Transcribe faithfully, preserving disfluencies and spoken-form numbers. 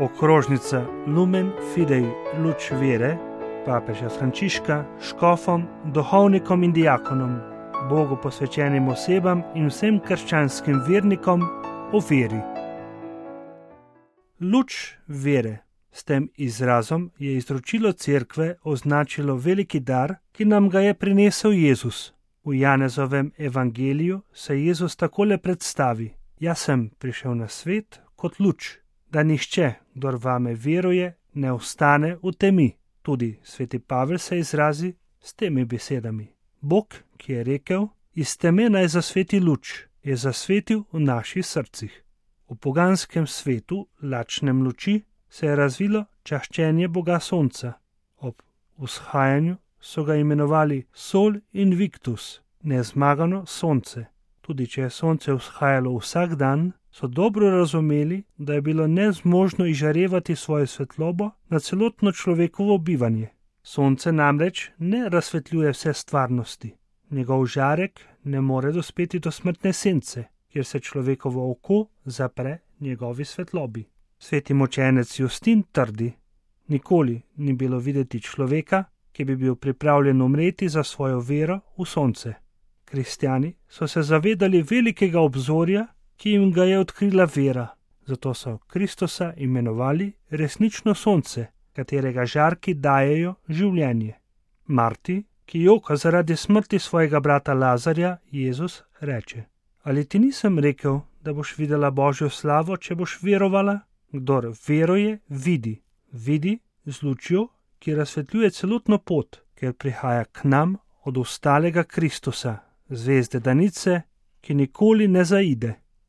Okrožnica Lumen Fidei Luč vere papeža Frančiška škofom, duhovnikom in diakonom, Bogu posvečenim osebam in vsem krščanskim vernikom o veri. Luč vere. S tem izrazom je izročilo cerkve označilo veliki dar, ki nam ga je prinesel Jezus. V Janezovem evangeliju se Jezus takole predstavi: Jaz sem prišel na svet kot luč, da nihče, kdor vame veruje, ne ostane v temi. Tudi sveti Pavel se izrazi s temi besedami. Bog, ki je rekel, iz teme naj zasveti luč, je zasvetil v naših srcih. V poganskem svetu, lačnem luči, se je razvilo čaščenje Boga sonca. Ob vzhajanju so ga imenovali Sol Invictus, nezmagano sonce. Tudi če je sonce vzhajalo vsak dan, so dobro razumeli, da je bilo nezmožno izžarevati svojo svetlobo na celotno človekovo bivanje. Sonce namreč ne razsvetljuje vse stvarnosti. Njegov žarek ne more dospeti do smrtne sence, kjer se človekovo oko zapre njegovi svetlobi. Sveti mučenec Justin trdi: nikoli ni bilo videti človeka, ki bi bil pripravljen umreti za svojo vero v sonce. Kristjani so se zavedali velikega obzorja, ki jim ga je odkrila vera, zato so Kristusa imenovali resnično sonce, katerega žarki dajejo življenje. Marti, ki joka zaradi smrti svojega brata Lazarja, Jezus reče: ali ti nisem rekel, da boš videla Božjo slavo, če boš verovala? Kdor veruje, vidi, vidi z lučjo, ki razsvetljuje celotno pot, ker prihaja k nam od ostalega Kristusa, zvezde danice, ki nikoli ne zaide.